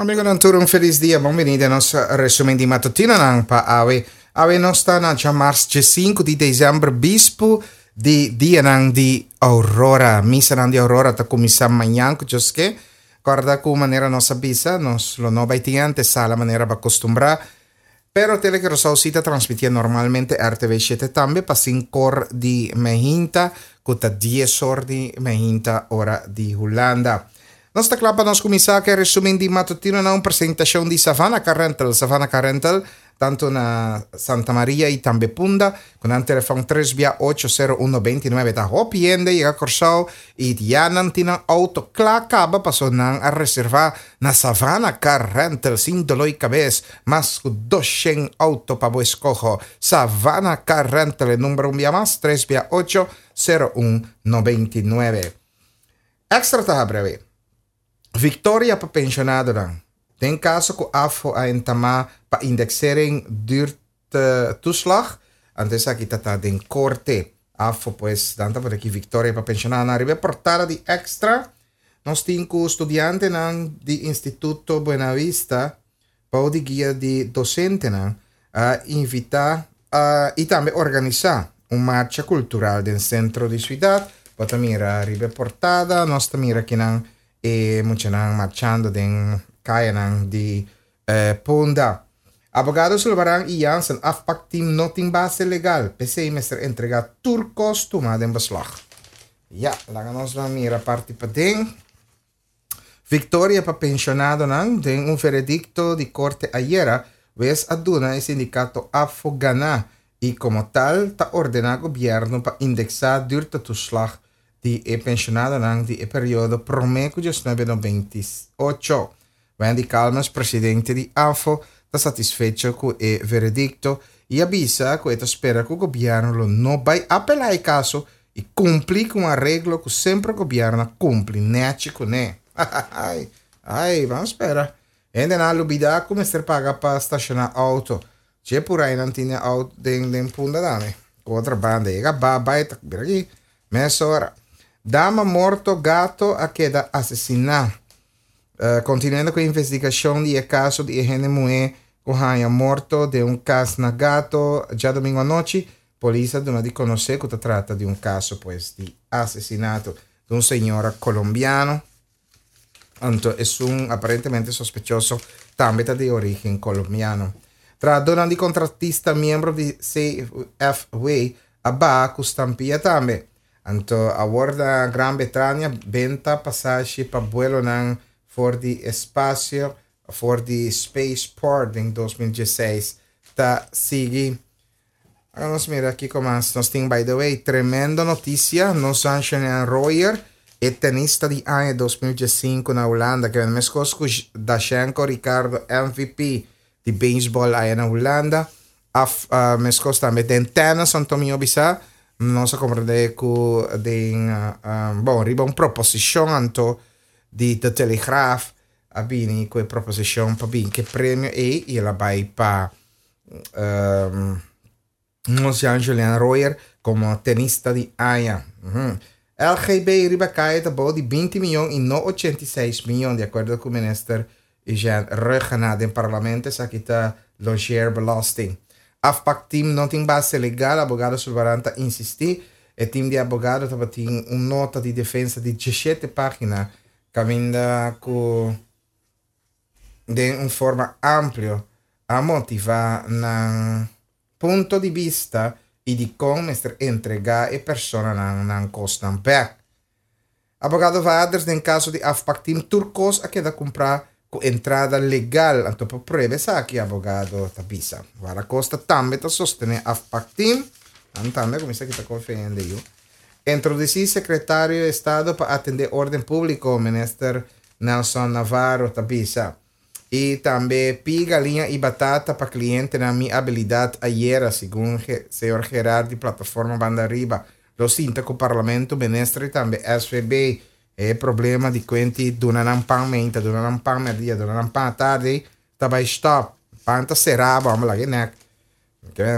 Amigonan tur un felis dia, bon bini den nos resumen di matutinonan pa awe. Awe nos ta na djamars djesinku di desèmber, bispu di dianan di Aurora. Misanan di Aurora ta kuminsá mañan ku Dios ke. Kòrda ku manera nos a bisa, nos lo no bai tin antesala manera bo a kustumbrá. Pero Tele Curaçao sí ta transmitié normalmente RTV shete tambe pa sinkor di mehinta ku ta dies or di mehinta ora di Hulanda. Nos ta kla pa nos kuminsá ku e resumen di matutino na un presentashon di Savannah Car Rental. Savannah Car Rental tantu na Santa Maria i tambe Punda ku nan telefòn tres bia ocho sero un nobenta i nuebe. Ta hopi hende yega Kòrsou i ya nan tin nan outo kla kaba paso nan a reservá na Savannah Car Rental sin doló i kabes. Mas ku doshen outo pa bo eskoho. Savannah Car Rental e number un bia mas tres bia ocho sero un 99. Extra ta habri awe. Victoria pa pensionadonan. Den kaso ku AFO a entamá pa indexering duurtoeslag, anto esaki ta ta den korte. AFO pues nan ta pone aki Victoria pa pensionadonan. Riba e portada di Extra nos tin ku studiantenan di Instituto Buenavista bou di guia di dosentenan a invitá i tambe organisá un marcha kultural den sentro di siudat. Bo ta mira riba e portada, nos ta mira kinan e muchanan marchando den kayanan di Punda. Abogado Sulvaran i Jansen, Afpakteam no tin base legal, p'esei mester entregá tur kos tumá den beslag. Ya, laga nos ban mira parti paden. Victoria pa pensionadonan Den un veredicto di corte ayera, wes a duna e sindicato ABVO gana y como tal ta ordena gobierno pa indexa duurtetoeslag di e pensionadonan di e periodo prome cu diesnuebe nobenta i ocho. Wendy Calmes, presidente di ABVO, ta satisfecho cu e veredicto y a bisa cu e ta spera cu gobierno lo no bay apela e caso I kumpli ku un areglo ku semper gobièrnu a kumpli nèchi kuné. Ai, ai, ban spera. Hendenan a lubidá ku mester paga pa stashoná outo. Dje pur ai nan tine outo den den punda dame. Ku otro banda yega ba bai ta bira aki mesora. Dama morto gato a keda asesiná. Kontinuando ku e investigashon di e kaso di e hende muhé ku haña morto den un kas na Gato djadumingu anochi, Polis a duna di conoce cu ta trata di un caso pues di asesinato di un señora colombiano. Anto esun aparentemente sospechoso tambe ta di origen colombiano. Trahadornan di contratista miembro di CFW a baha cu stampia tambe. Anto awor na Gran Bretania benta pasashi pa buelonan for di espacio for di Spaceport den 2016 ta sigui. Ahora nos mira kiko mas nos tin. By the way, tremendo noticia. Nos Jean Royer, e tenista di aña 2015 na Hulanda, que meskos ku Dashenko Ricardo, MVP di baseball aya na Hulanda. Af, meskos tambe den tennis, Antonio bisa. Nos a comprende ku den, bon, riba un proposicion anto di De Telegraaf a bini ku e proposicion pa bin ke premio ei i el a bai pa Nos Jan Julian Royer komo tenista di aña. LGB riba kaya ta bou di binti miyon i no 86 miyon, di akuerdo ku minister Eugène Rhuggenaath den parlamento. Esaki ta logeerbelasting. Afpakteam no tin base legal, abogado Sulvaran ta insistí. E team di abogado tabatin un nota di defensa di diesshete página kaminda ku den un forma amplio a motivá nan punto di bista i dikon mester entregá e personanan nan kosnan bèk. Abogado Vaders den kaso di Afpakteam tur kos a keda kumprá ku entrada legal, anto por prueba esaki, abogado ta bisa. Guarda Costa tambe ta sostené Afpakteam, nan tambe a kuminsá kita konfia hende yu. Introdusí Sekretario di Estado pa atendé órden públiko, Minister Nelson Navarro ta bisa. I tambe pi galiña i batata pa klientenan mi abilidat ayera, segun señor Gerard di Plataforma Banda Ariba. Lo sinta ku Parlamento, Minister i tambe SVB. E problema di kuenti duna nan pan meinta, duna nan pan merdia, duna nan pan atardi ta bai stop. Pan ta será bo, amo laga e nek.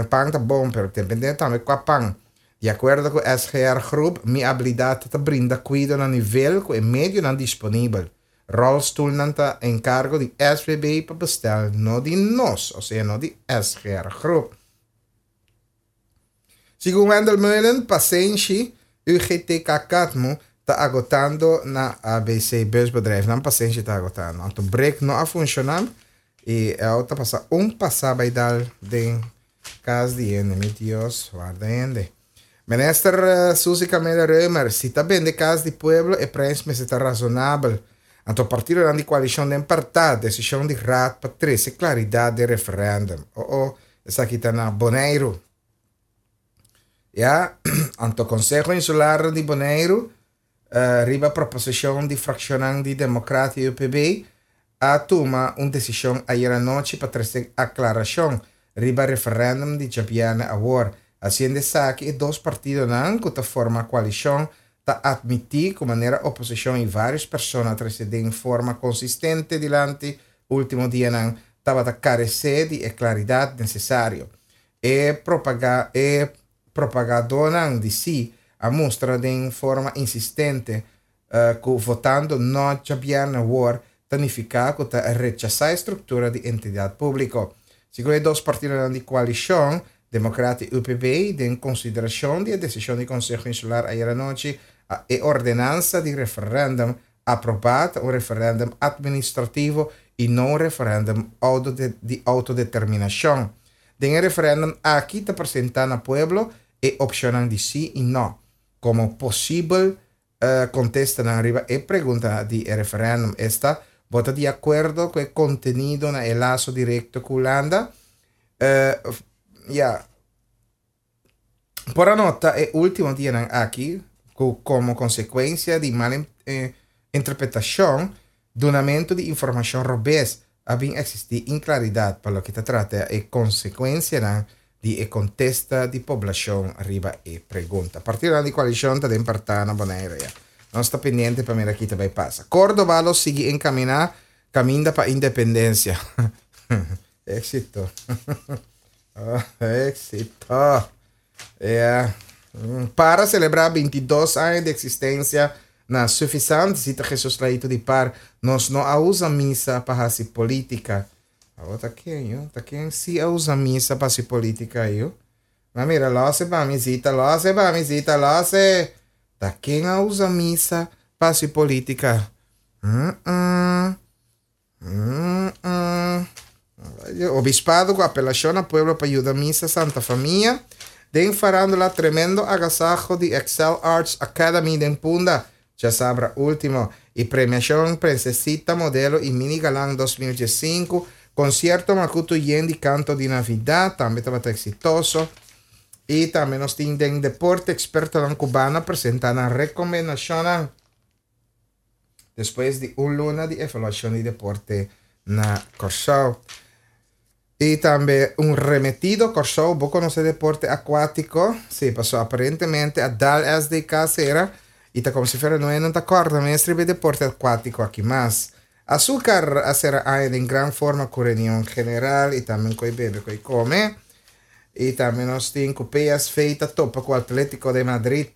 Pan ta bon, pero depende tambe kua pan. Di akuerdo ku SGR Groep, mi abilidat ta brinda kuido na nivel ku e medionan disponibel. Rolstoelnan ta enkargo di SVB pa bestel, no di nos, osea no di SGR Groep. Segun Wendell Meulen, pasenshi, UGTK Katmu, ta agotando na ABC Busbedrijf. Nan pasenshi ta agotando. Anto brek no a funshoná i e auto a pasa un pasá bai dal den kas di hende. Mi Dios, warda hende. Minister Suzy Camelia Römer, si ta bende kas di pueblo e prijs mester ta razonabel. Anto partidonan di koalishon den partá desishon di raad pa trese klaridat den referèndum. Oh oh, esaki ta na Boneiru. Ya, anto Konseho Insular di Boneiru riba proposishon di frakshonnan di Demokrat i UPB a tuma un desishon ayera nochi pa trese aklarashon riba referèndum di djabièrnè awor. Hasiendo esaki e dos partidonan ku ta forma koalishon ta atmití ku manera oposishon i vários persona a trese den forma konsistente dilanti último dianan tabata karesé di e klaridat nesesario. E e propagadónan di sí a mustra den forma insistente ku votando no djabièrnè awor ta nifiká ku ta rechasá e struktura di entidat públiko. Segun e dos partidonan di koalishon, Demokrat i UPB, den konsiderashon di e desishon di Konseho Insular ayera anochi, a e ordenansa di referèndum aprobá ta un referèndum atministrativo i no un referèndum di outodeterminashon. Den e referèndum aki ta presentá na pueblo e opshonnan di sí i nò komo posibel kontestanan riba e pregunta di e referèndum, esta, bo ta di akuerdo ku e kontenido na e laso direkto ku Hulanda? Ya. Por a nota e último dianan aki ku komo konsekuensia di mal interpretashon, dunamentu di informashon robes, a bin eksistí inklaridat pa loke ta trata e konsekuensianan di e kontesta di poblashon riba e pregunta. Partidonan di koalishon ta den partá na Bonaire ya. Nos ta pendiente pa mira ki ta bai pasa. Córdoba lo sigui enkaminá kaminda pa independensia. Éxito. Éxito. Yeah. Para selebrá 22 aña di eksistensia na Suffisant, Zita Jesus Laito di Par, nos no a usa misa pa hasi polítika. Awor ta ken yo? Ta ken si a usa misa pa hasi polítika yo? Ma mira, lose pa mi, Zita, lose pa mi, Zita, lose. Ta ken a usa misa pa hasi polítika? Mm-mm. Obispado ku apelashon na pueblo pa yuda misa Santa Famia den farándula tremendo agasaho di Excel Arts Academy den Punda djasabra último i premiashon Prinsesita Modelo i Mini Galan 2015 Konsierto Makutu yen di kanto di Navidat tambe tabata eksitoso i tambe nos tin den deporte ekspertonan kubano a presentá nan rekomendashonnan. Despues di un luna di evaluashon di deporte na Kòrsou. I tambe un remetido Kòrsou, bo konosé deporte akuátiko? Sí, paso aparentemente a dal SDK sera i ta komo si fuera no e no ta kòrda mes riba e deporte akuátiko aki mas. Azúcar a sera aña den gran forma ku reunion general i tambe ku e bebe ku e kome. I tambe nos tin ku PSV ta topa ku Atlético de Madrid.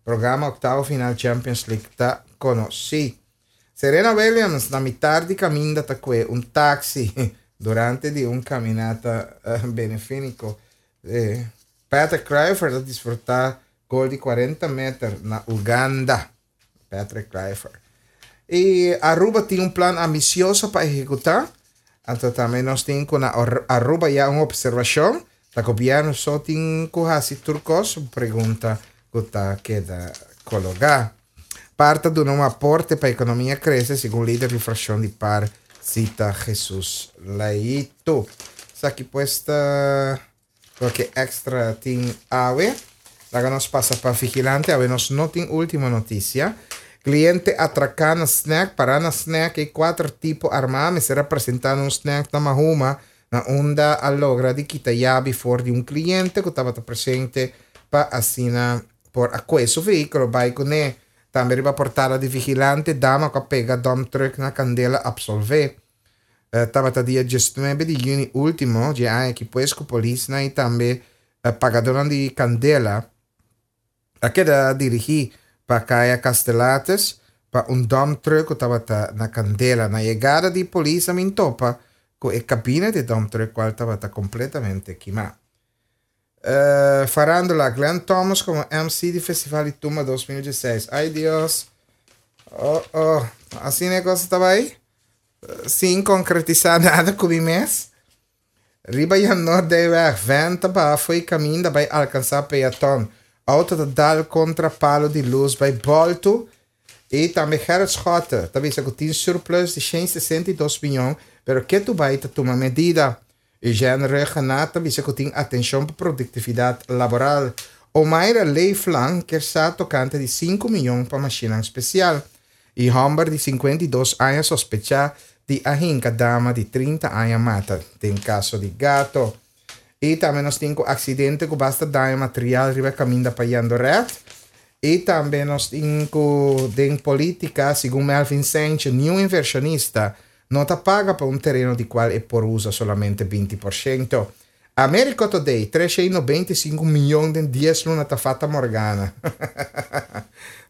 Programa octavo final Champions League ta conoci. Serena Williams na mitar di caminda ta cue un taxi durante di un caminata benefinico. Patrick Kluivert a disfruta gol di 40 meter na Uganda. Patrick Kluivert. Y Aruba tin un plan ambicioso pa ehecuta. Anto tambe nos tin cu na Aruba ya un observacion. Ta gobierno so tin cu haci tur cos? Un pregunta cu ta keda cologa. Par ta duna un aporte pa economia crece, segun lider di fraccion di par, Zita Jesus Leito. Esaki pues ta loke extra tin awe. Laga nos pasa pa Vigilante. Awe nos no tin ultimo noticia. Cliente atraca na snack, para na snack e cuater tipo arma mester a presenta na un snack na Mahuma na unda a logra di kita yabi for di un cliente cu tabata presente pa asina por a cue su vehiculo bay cune. Tambe riba portada di Vigilante, dama cu a pega dump truck na candela absolve. Tabata dia diesnuebe di juni ultimo dje aña aki pues cu polisnan y tambe pagadornan di candela a keda dirigi pa Kaya Castelates. pa un dump truck ku tabata na kandela. Na yegada di polis a min topa ku e kabina di e dump truck kual tabata kompletamente kimá. Farándula, Glenn Thomas komo MC di Festival di Tumba 2016. Ay Dios! Oh oh, asina e kos ta bai? Sin konkretisá nada ku mi mes. Riba Jan Noordeyweg, vèn ta baha fo'i kaminda bai alkansá peaton. Outo ta dal kontra palu di lus bai bòltu. I tambe Gerrit Schotte ta bisa ku tin surplus di 162 mion, pero ketu bai ta tuma medida. Eugène Rhuggenaath ta bisa ku tin atenshon pa produktividat laboral. Omaira Leeflang kier sa tokante di sinku mion pa mashinnan spesial. I hòmber di 52 aña sospechá di a hinka dama di 30 aña mata den kaso di gato. I tambe nos tin ku aksidente ku basta daño material riba kaminda pa Jandoret. I tambe nos tin ku den polítika, segun Melvin Saintje, niun invershonista no ta paga pa un tereno di kual e por usa solamente 20%. America Today, 395 miyon den 10 luna ta fata morgana.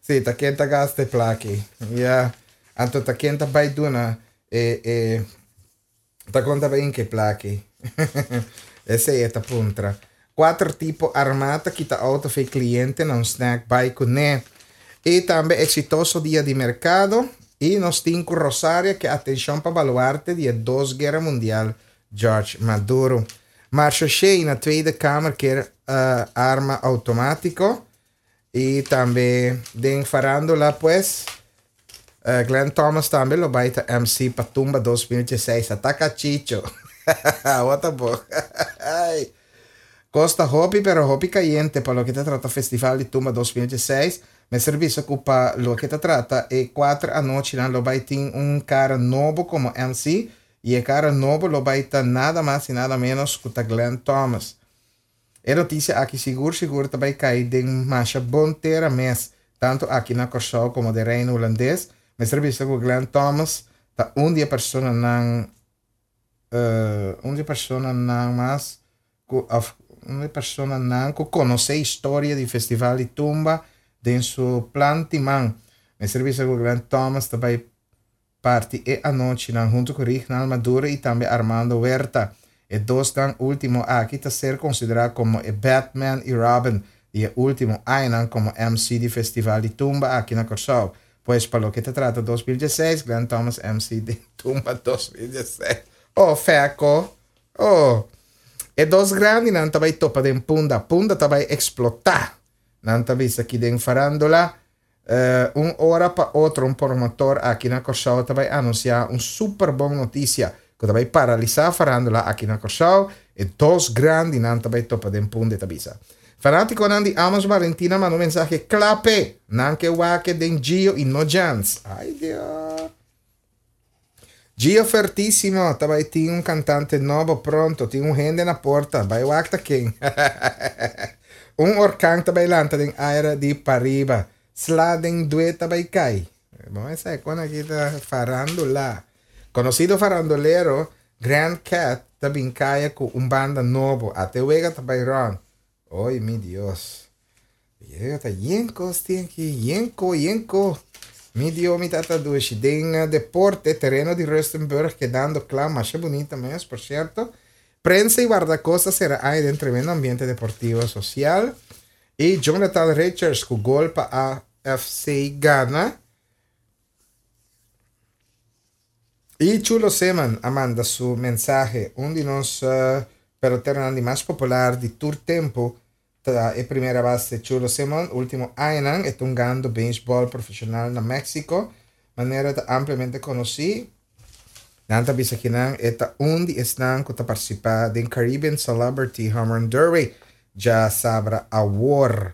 Sí, ta ken ta gasta e plaki. Ja, anto ta ken ta bai duna e e ta kon ta bai inke plaki. Esei e ta puntra. Kuater tipo armá ta kita outo fei kliente na un snack bai kuné. I tambe eksitoso dia di merkado. I nos tin ku Rosaria ke atenshon pa baluarte di e dos guera mundial George Maduro. Marcio Shea na Tweede Kamer kier arma outomátiko. I tambe den farándula pues Glenn Thomas tambe lo bai ta MC pa Tumba 2016. Ataka Chicho. What a bo. Kos ta hopi pero hopi kayente pa loke ta trata Festival di Tumba 2016. Mester bisa ku pa loke ta trata e kuater anochinan lo bai tin un kara nobo komo MC i e kara nobo lo bai ta nada mas i nada menos ku ta Glenn Thomas. E notisia aki sigur sigur ta bai kai den masha bon tera mes, tantu aki na Kòrsou komo den Reino Hulandes. Mester bisa ku Glenn Thomas ta un di e personanan un di e personanan mas ku òf un di e personanan ku konosé historia di Festival di Tumba den su plan timan. Mester bisa ku Glenn Thomas ta bai parti e anochinan huntu ku Rignald Maduro i tambe Armando Huerta. E dosnan último aki ta ser konsiderá komo e Batman i Robin di e último añanan komo MC di Festival di Tumba aki na Kòrsou. Pues pa loke ta trata 2016, Glenn Thomas MC den Tumba 2016. Oh, fèko! Oh! E dos grandinan ta bai topa den Punda. Punda ta bai eksplotá! Nan ta bisa aki den farándula. Un ora pa otro un promotor aki na Kòrsou ta bai anunsiá un super bon notisia ku ta bai paralisá farándula aki na Kòrsou, e dos grandinan ta bai topa den Punda e ta bisa. Fanátikonan di Amos Balentina manda un mensahe kla p'e, nan ke wak e den Gio i no Jans. Ai Dios! Gio Fertísimo ta bai tin un kantante nobo pronto, tin un hende na porta, bai wak ta ken. Un orkan ta bai lanta den aire di pariba, sla den due ta bai kai. Bon esei kon aki ta farandula. Konosido farandulero Grand Cat ta bin kaya ku un banda nobo, ate wega ta bai rònt. Oy mi Dios. Yega ta yen kos tin aki, yen ko, yen ko. Mi Dio, mi tata dushi. Den eh, deporte, tereno di Rustenburg kedando kla, masha bunita mes, por cierto. Prensa y guardacosta sera aña den tremendo ambiente deportivo social. Y Jonathan Richards ku gol pa AFC gana. Y Chulo Zeman a manda su mensahe. Un di nos uh, peloteronan di mas popular di tur tempo Ta e primera base Chulo Simon. Ultimo añanan e ta hungando beisbòl profeshonal na Mexico. Manera ta ampliamente konosí, nan ta bisa kinan e ta un di esnan ku ta partisipá den Caribbean Celebrity Home Run Derby djasabra awor.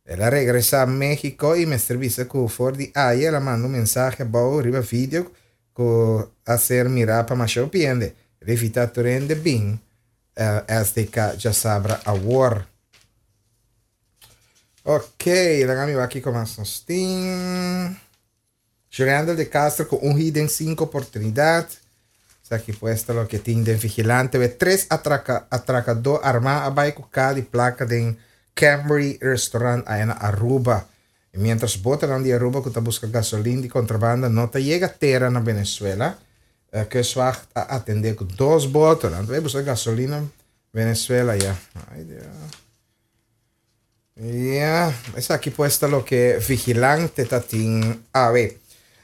El a regresá Mexico i mester bisa ku for di aya el a manda un mensahe abou riba video ku a ser mirá pa masha hopi hende. El a invitá tur hende bin SDK djasabra awor. Ok, laga mi wak kiko mas nos tin. Jurendel de Castro ku un hit den sinku oportunidat. Esaki pues ta loke tin den Vigilante. We tres atraka, atrakadó armá a bai ku ka di plaka den Camry Restaurant aya na Aruba. Y mientras botonan di Aruba cu ta busca gasolin di contrabanda no ta yega tera na Venezuela, Kustwacht a atende cu dos boto. Nan ta bay busca gasolin na Venezuela ya. Ay Dios. Ya, esaki pues ta loke Vigilante ta tin awe.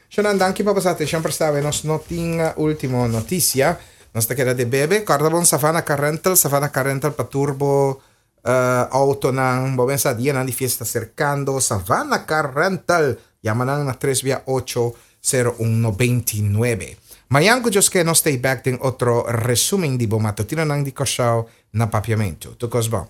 Shonan, danki pa boso atencion presta awe. Nos no tin ultimo noticia. Nos ta keda de bebe. Corda bon Savannah Car Rental, Savannah Car Rental pa tur bo autonan. Bo pensa dianan di fiesta cercando. Savannah Car Rental. Yama nan na tres bia ocho sero un 99. Mañan cu Dios ke nos stay back den otro resumen di bo matutinonan di Curaçao na Papiamento. Tur cos bon.